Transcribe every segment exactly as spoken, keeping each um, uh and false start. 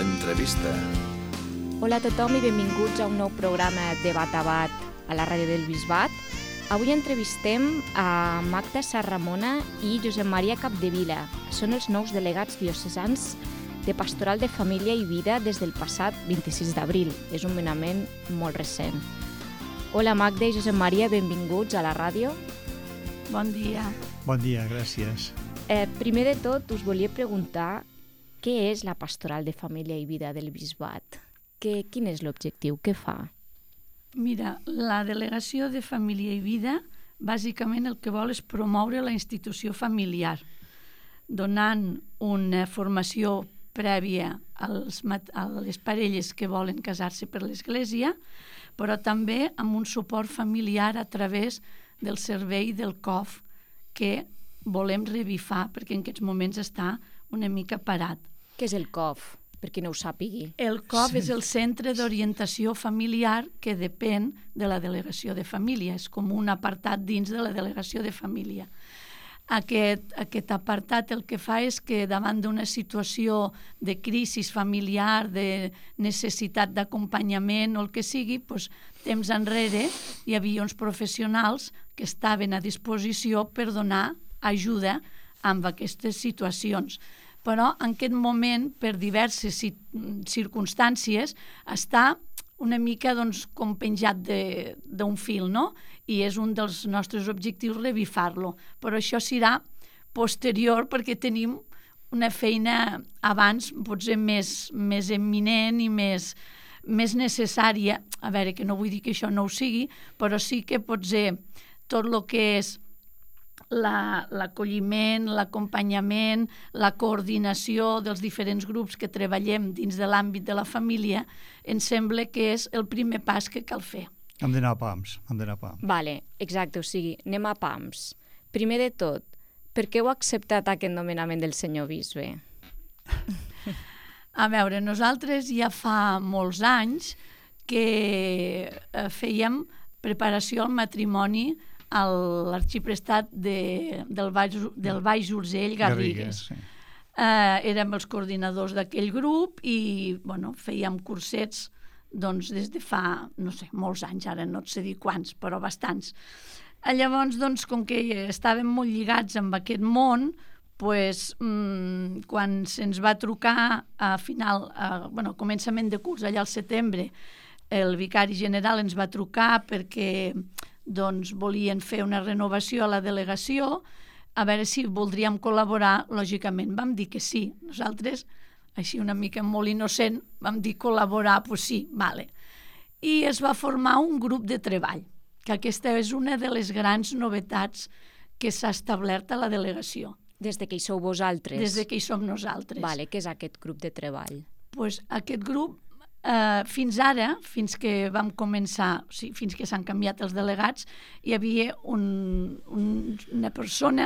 l'entrevista. Hola a tothom i benvinguts a un nou programa de Bat a Bat a la ràdio del Bisbat. Avui entrevistem a Magda Sarramona i Josep Maria Capdevila. Són els nous delegats diocesans de Pastoral de Família i Vida des del passat vint-i-sis d'abril. És un nomenament molt recent. Hola Magda i Josep Maria, benvinguts a la ràdio. Bon dia. Bon dia, gràcies. Eh, primer de tot, us volia preguntar què és la Pastoral de Família i Vida del Bisbat? Que, quin és l'objectiu? Què fa? Mira, la Delegació de Família i Vida bàsicament el que vol és promoure la institució familiar, donant una formació prèvia als, a les parelles que volen casar-se per l'Església, però també amb un suport familiar a través del servei del C O F que volem revifar perquè en aquests moments està una mica parat. Què és el C O F? Per qui no ho sàpigui. El C O F sí. És el Centre d'Orientació Familiar que depèn de la Delegació de Família. És com un apartat dins de la Delegació de Família. Aquest, aquest apartat el que fa és que davant d'una situació de crisi familiar, de necessitat d'acompanyament o el que sigui, doncs, temps enrere hi havia uns professionals que estaven a disposició per donar ajuda amb aquestes situacions. Però en aquest moment, per diverses circumstàncies, està una mica doncs, com penjat d'un fil, no? I és un dels nostres objectius revifar-lo. Però això serà posterior perquè tenim una feina abans potser més, més eminent i més, més necessària. A veure, que no vull dir que això no ho sigui, però sí que potser tot el que és La, l'acolliment, l'acompanyament, la coordinació dels diferents grups que treballem dins de l'àmbit de la família, ens sembla que és el primer pas que cal fer. Hem d'anar a pams, hem d'anar a pams. Vale, exacte, o sigui, anem a pams. Primer de tot, per què heu acceptat aquest nomenament del senyor bisbe? A veure, nosaltres ja fa molts anys que fèiem preparació al matrimoni a l'arxiprestat de, del, Baix, del Baix Urgell Garrigues. Garrigues sí. eh, érem els coordinadors d'aquell grup i bueno, fèiem cursets doncs, des de fa, no sé, molts anys, ara no et sé dir quants, però bastants. Eh, llavors, doncs, com que estàvem molt lligats amb aquest món, pues, mmm, quan se'ns va trucar a final, a, bueno, començament de curs, allà al setembre, el vicari general ens va trucar perquè doncs volien fer una renovació a la delegació, a veure si voldríem col·laborar, lògicament vam dir que sí. Nosaltres, així una mica molt innocent, vam dir col·laborar, doncs sí, vale. I es va formar un grup de treball, que aquesta és una de les grans novetats que s'ha establert a la delegació. Des de que hi sou vosaltres? Des de que hi som nosaltres. Vale, què és aquest grup de treball? Pues aquest grup Uh, fins ara, fins que vam començar, o sigui, fins que s'han canviat els delegats, hi havia un, un, una persona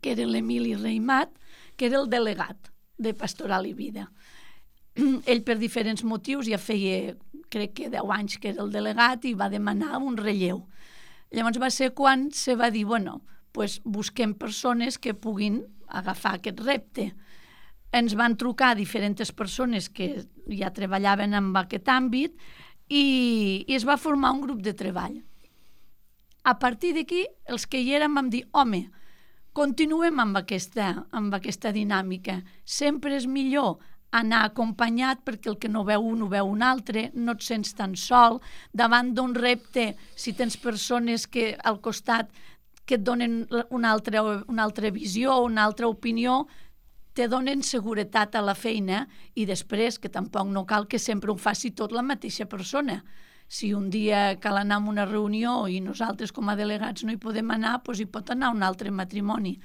que era l'Emili Reimat, que era el delegat de Pastoral i Vida. Ell, per diferents motius, ja feia, crec que deu anys que era el delegat i va demanar un relleu. Llavors va ser quan se va dir, bueno, pues busquem persones que puguin agafar aquest repte. Ens van trucar diferents persones que ja treballaven en aquest àmbit i, i es va formar un grup de treball. A partir d'aquí, els que hi érem vam dir, home, continuem amb aquesta, amb aquesta dinàmica. Sempre és millor anar acompanyat perquè el que no veu un ho veu un altre, no et sents tan sol. Davant d'un repte, si tens persones que al costat que et donen una altra, una altra visió, una altra opinió, te donen seguretat a la feina i després, que tampoc no cal que sempre ho faci tot la mateixa persona. Si un dia cal anar a una reunió i nosaltres com a delegats no hi podem anar, doncs hi pot anar un altre matrimoni.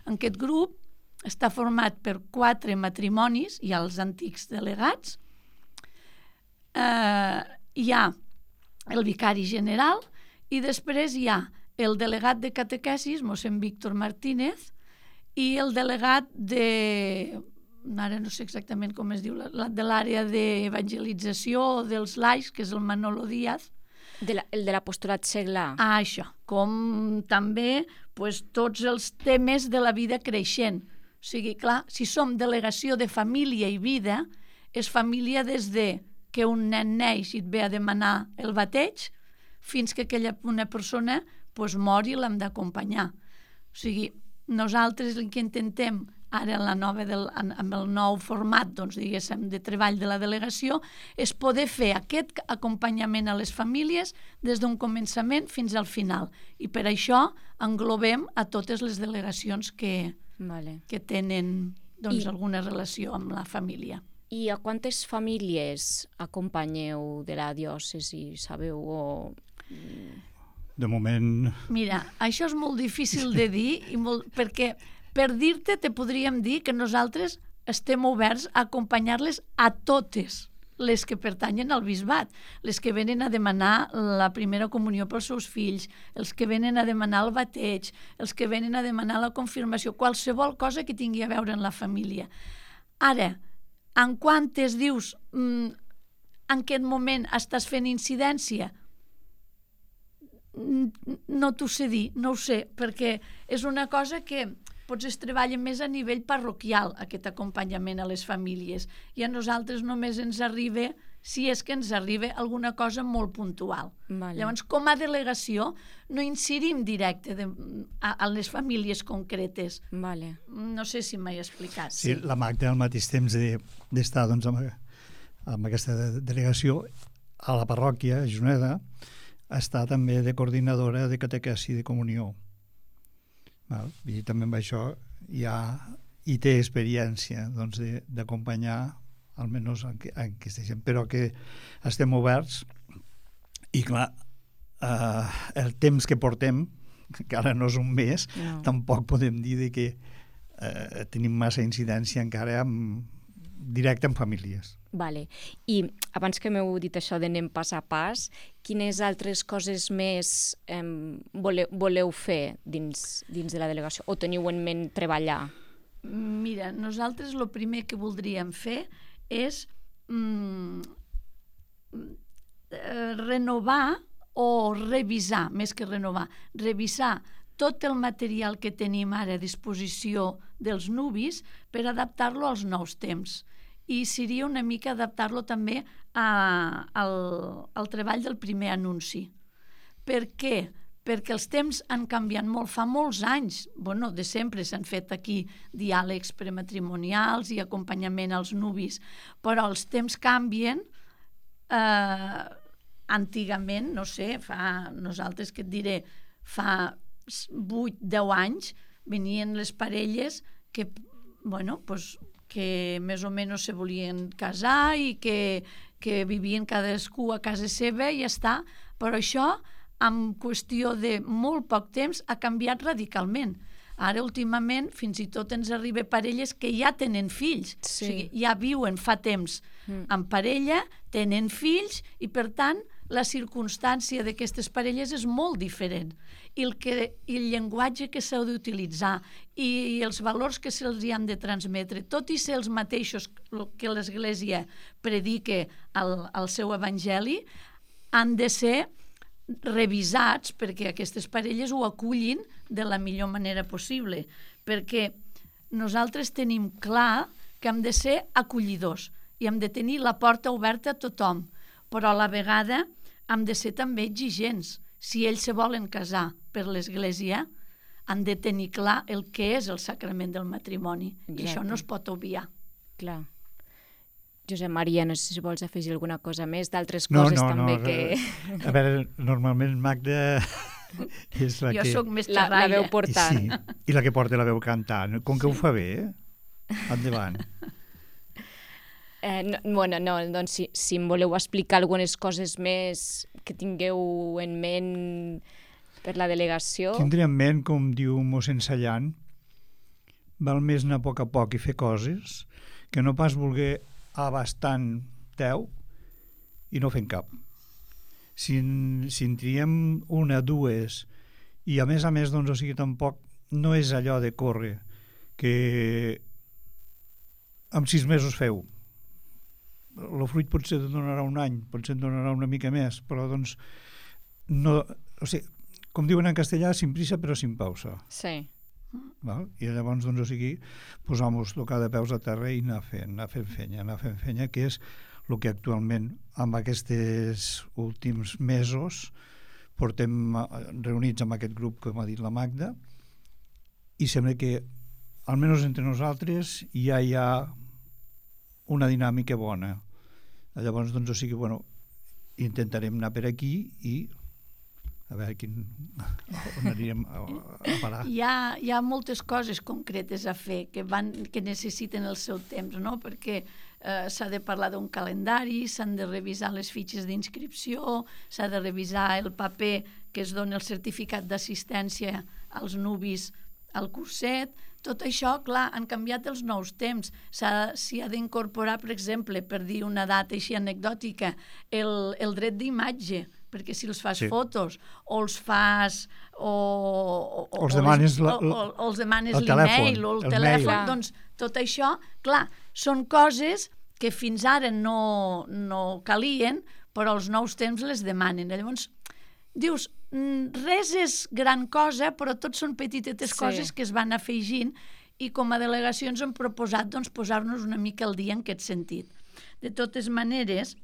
Aquest grup està format per quatre matrimonis, hi ha els antics delegats, eh, hi ha el vicari general i després hi ha el delegat de catequesis, mossèn Víctor Martínez, i el delegat de, ara no sé exactament com es diu, de l'àrea d'evangelització dels laics, que és el Manolo Díaz. De la, el de l'apostolat seglar. Ah, això. Com també pues, tots els temes de la vida creixent. O sigui, clar, si som delegació de família i vida, és família des de que un nen neix i et ve a demanar el bateig fins que aquella una persona pues, mori i l'hem d'acompanyar. O sigui, nosaltres el que intentem ara en la nova del, amb el nou format doncs, diguéssim, de treball de la delegació és poder fer aquest acompanyament a les famílies des d'un començament fins al final. I per això englobem a totes les delegacions que, vale. que tenen doncs, I, alguna relació amb la família. I a quantes famílies acompanyeu de la diòcesi, sabeu? O... De moment... Mira, això és molt difícil de dir i molt, perquè per dir-te, te podríem dir que nosaltres estem oberts a acompanyar-les a totes les que pertanyen al bisbat, les que venen a demanar la primera comunió pels seus fills, els que venen a demanar el bateig, els que venen a demanar la confirmació, qualsevol cosa que tingui a veure amb la família. Ara, en quantes dius, mm, en aquest moment estàs fent incidència? No t'ho sé dir, no ho sé, perquè és una cosa que potser es treballa més a nivell parroquial, aquest acompanyament a les famílies, i a nosaltres només ens arriba, si és que ens arriba, alguna cosa molt puntual. Vale. Llavors, com a delegació, no incidim directe de, a, a les famílies concretes. Vale. No sé si m'he explicat. Sí, la Magda al mateix temps d'estar de, doncs, amb, amb aquesta delegació a la parròquia, a Juneda, està també de coordinadora de catequesi de comunió. Val? I també amb això ja hi té experiència doncs, d'acompanyar almenys en, en aquesta gent, però que estem oberts i clar, eh, el temps que portem, que ara no és un mes, no. Tampoc podem dir de que eh, tenim massa incidència encara amb, directe amb famílies. Vale. I abans que m'heu dit això d'anem pas a pas, quines altres coses més eh, voleu, voleu fer dins, dins de la delegació? O teniu en ment treballar? Mira, nosaltres el primer que voldríem fer és mm, renovar o revisar, més que renovar, revisar tot el material que tenim ara a disposició dels nuvis per adaptar-lo als nous temps. I seria una mica adaptar-lo també a, al, al treball del primer anunci. Per què? Perquè els temps han canviat molt. Fa molts anys, bueno, de sempre s'han fet aquí diàlegs prematrimonials i acompanyament als nuvis, però els temps canvien. Eh, antigament, no sé, fa, nosaltres que et diré, fa vuit deu anys venien les parelles que, bueno, pues, que més o menys se volien casar i que, que vivien cadascú a casa seva i ja està, però això en qüestió de molt poc temps ha canviat radicalment. Ara últimament fins i tot ens arriba parelles que ja tenen fills, sí. O sigui, ja viuen fa temps mm. en parella, tenen fills i per tant la circumstància d'aquestes parelles és molt diferent. I el, que, i el llenguatge que s'ha d'utilitzar i, i els valors que se'ls han de transmetre, tot i ser els mateixos que l'Església predica al, al seu evangeli, han de ser revisats perquè aquestes parelles ho acullin de la millor manera possible. Perquè nosaltres tenim clar que hem de ser acollidors i hem de tenir la porta oberta a tothom, però a la vegada hem de ser també exigents. Si ells se volen casar per l'Església, han de tenir clar el que és el sacrament del matrimoni. Exacte. I això no es pot obviar. Clar. Josep Maria, no sé si vols afegir alguna cosa més, d'altres no, coses no, també no, que... A veure, normalment Magda és la jo que... Jo soc més la, xerraire. la veu portant. Sí, i la que porta la veu cantant. Com que sí. Ho fa bé, eh? Endavant. Eh, no, bueno, no, doncs si, si em voleu explicar algunes coses més que tingueu en ment per la delegació... Tindré en ment, com diu mossèn Sallant, val més anar a poc a poc i fer coses que no pas voler abastant teu i no fent cap. Si, si en triem una, dues, i a més a més, doncs, o sigui, tampoc no és allò de córrer que en sis mesos feu. El fruit potser et donarà un any, potser et donarà una mica més, però doncs no, o sigui, com diuen en castellà, sin prisa però sin pausa. Sí. Val? I llavors, doncs, o sigui, posar-nos tocar de peus a terra i anar fent, anar fent fenya, anar fent fenya, que és el que actualment, amb aquests últims mesos, portem reunits amb aquest grup que m'ha dit la Magda, i sembla que, almenys entre nosaltres, ja hi ha una dinàmica bona. Llavors, doncs, o sigui, bueno, intentarem anar per aquí i a veure quin, on anirem a, a parar. Hi ha, hi ha moltes coses concretes a fer que, van, que necessiten el seu temps, no? Perquè eh, s'ha de parlar d'un calendari, s'han de revisar les fitxes d'inscripció, s'ha de revisar el paper que es dona el certificat d'assistència als nubis al curset. Tot això, clar, han canviat els nous temps. S'hi ha d'incorporar, per exemple, per dir una data així anecdòtica, el, el dret d'imatge, perquè si els fas sí. fotos o els fas o, o, o els demanes, o, la, o, o els demanes el l'email o el, el telèfon, mail. Doncs tot això, clar, són coses que fins ara no, no calien, però els nous temps les demanen. Llavors, dius, res és gran cosa, però tot són petitetes sí. coses que es van afegint i com a delegació ens hem proposat doncs, posar-nos una mica al dia en aquest sentit. De totes maneres,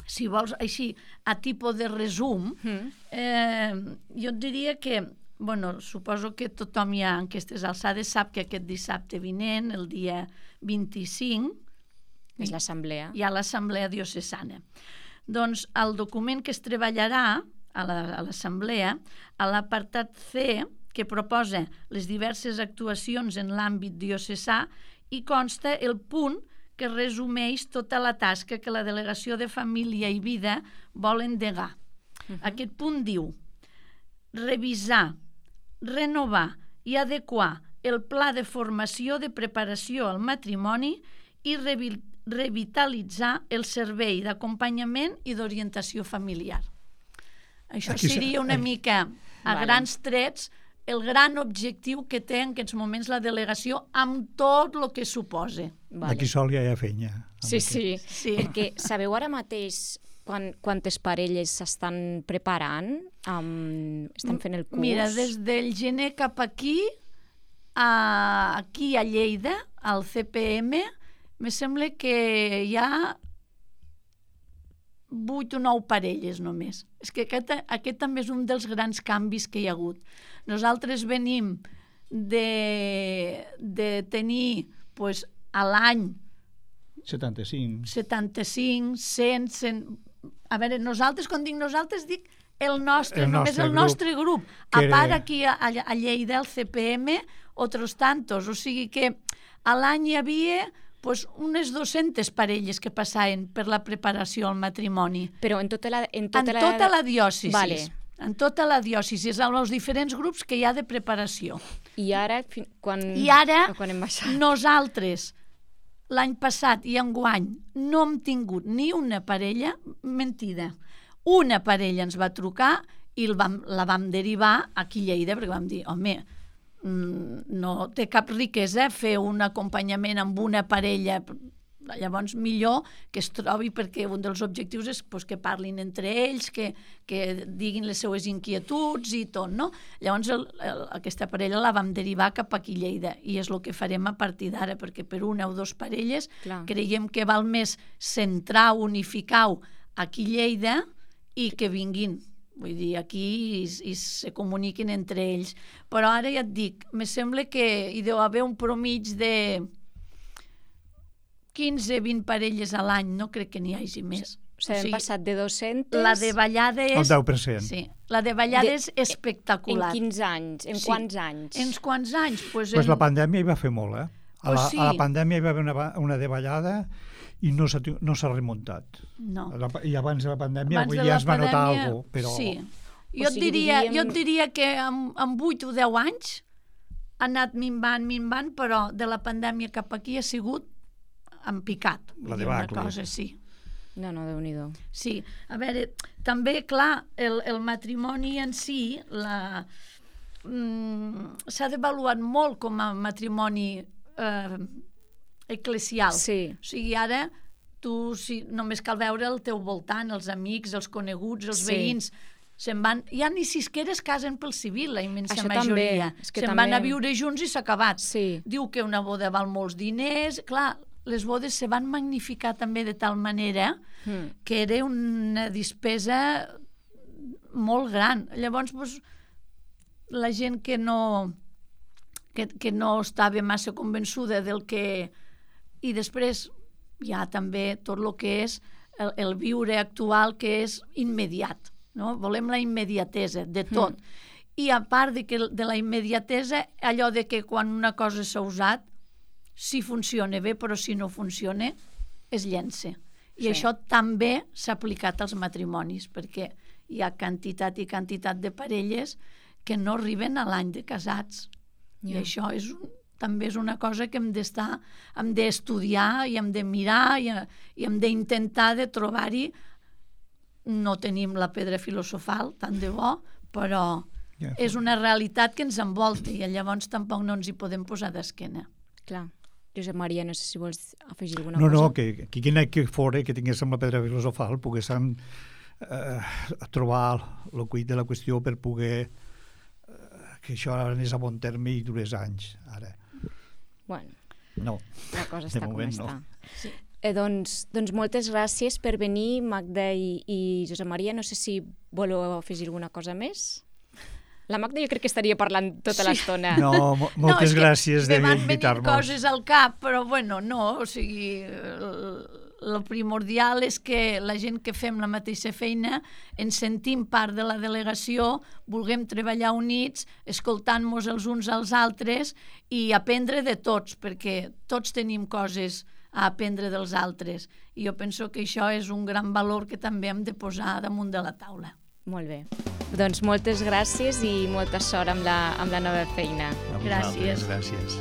si vols així, a tipus de resum, mm. eh, jo et diria que, bueno, suposo que tothom ja en aquestes alçades sap que aquest dissabte vinent, el dia vint-i-cinc, és l'assemblea. Hi ha l'assemblea diocesana. Doncs el document que es treballarà a l'assemblea, a l'apartat C, que proposa les diverses actuacions en l'àmbit diocesà, hi consta el punt que resumeix tota la tasca que la Delegació de Família i Vida vol endegar. Uh-huh. Aquest punt diu revisar, renovar i adequar el pla de formació de preparació al matrimoni i revi revitalitzar el servei d'acompanyament i d'orientació familiar. Això Aquí seria una mica, a vale. grans trets, el gran objectiu que té en aquests moments la delegació amb tot el que suposa. Vale. Aquí sol ja hi ha fenya. Sí, sí, sí, perquè sabeu ara mateix quan, quantes parelles s'estan preparant? Um, estan fent el curs? Mira, des del gener cap aquí, a, aquí a Lleida, al C P M, me sembla que hi ha vuit o nou parelles només. És que aquest, aquest també és un dels grans canvis que hi ha hagut. Nosaltres venim de, de tenir pues, a l'any setanta-cinc, setanta-cinc, cent, cent... A veure, nosaltres, quan dic nosaltres, dic el nostre, el només nostre el grup, nostre grup. A era... part aquí a, a Lleida, el C P M, otros tantos. O sigui que a l'any hi havia pues, unes dues-centes parelles que passaven per la preparació al matrimoni. Però en tota la... En tota, en la... tota la diòcesi. Vale. En tota la diòcesi, amb els diferents grups que hi ha de preparació. I ara, quan, I ara quan hem baixat? Nosaltres, l'any passat i enguany, no hem tingut ni una parella, mentida, una parella ens va trucar i el vam, la vam derivar aquí a Lleida, perquè vam dir, home, no té cap riquesa fer un acompanyament amb una parella. Llavors millor que es trobi, perquè un dels objectius és pues, que parlin entre ells, que, que diguin les seues inquietuds i tot, no? Llavors el, el, aquesta parella la vam derivar cap aquí a Lleida i és el que farem a partir d'ara, perquè per una o dues parelles Clar. creiem que val més centrar, unificar-ho aquí a Lleida i que vinguin, vull dir, aquí i, i se comuniquin entre ells. Però ara ja et dic, me sembla que hi deu haver un promig de quinze a vint parelles a l'any, no crec que n'hi hagi més. O sigui, hem passat de dos-centes... La de ballada és... El deu per cent. Sí, la de ballada de... és espectacular. En quinze anys? En sí. quants anys? En quants anys? Pues, pues en... la pandèmia hi va fer molt, eh? A la, pues sí. a la pandèmia hi va haver una, una de ballada i no s'ha no remuntat. No. La, I abans de la pandèmia abans ja es va notar alguna cosa, però... Sí. Jo, o sigui, et diria, diríem... jo et diria que en, en vuit o deu anys ha anat minvant, minvant, però de la pandèmia cap aquí ha sigut en picat. La dir, una cosa, sí. No, no, Déu-n'hi-do. Sí, a veure, també, clar, el, el matrimoni en si la, mm, s'ha devaluat molt com a matrimoni eh, eclesial. Sí. O sigui, ara tu si, només cal veure el teu voltant, els amics, els coneguts, els sí. veïns, se'n van, ja ni sisquera es casen pel civil, la immensa Això majoria. també, és que se'n també... van a viure junts i s'ha acabat. Sí. Diu que una boda val molts diners, clar, les bodes se van magnificar també de tal manera mm. que era una despesa molt gran. Llavors, doncs, la gent que no, que, que no estava massa convençuda del que... I després hi ha també tot el que és el, el viure actual, que és immediat. No? Volem la immediatesa de tot. Mm. I a part de, que, de la immediatesa, allò de que quan una cosa s'ha usat, si funciona bé, però si no funciona, es llença. I sí. Això també s'ha aplicat als matrimonis, perquè hi ha quantitat i quantitat de parelles que no arriben a l'any de casats. Yeah. I això és un, també és una cosa que hem d'estar, hem d'estudiar i hem de mirar i, i hem d'intentar de trobar-hi. No tenim la pedra filosofal, tant de bo, però yeah. és una realitat que ens envolta i llavors tampoc no ens hi podem posar d'esquena. Clar. Josep Maria, no sé si vols afegir alguna no, cosa. No, no, que, que quina que fora que tinguéssim la pedra filosofal poguéssim eh, trobar el cuit de la qüestió per poder eh, que això anés a bon terme i durés anys, ara. Bueno, no, la cosa està moment, com està. No. Sí. Eh, doncs, doncs moltes gràcies per venir, Magda i, i Josep Maria. No sé si voleu afegir alguna cosa més. La Magda jo crec que estaria parlant tota sí. l'estona. No, mo moltes no, gràcies d'invitar-nos. Me van venint coses al cap, però bueno, no, o sigui, el primordial és que la gent que fem la mateixa feina ens sentim part de la delegació, vulguem treballar units, escoltant-nos els uns als altres i aprendre de tots, perquè tots tenim coses a aprendre dels altres. I jo penso que això és un gran valor que també hem de posar damunt de la taula. Molt bé. Doncs moltes gràcies i molta sort amb la, amb la nova feina. Gràcies. Gràcies.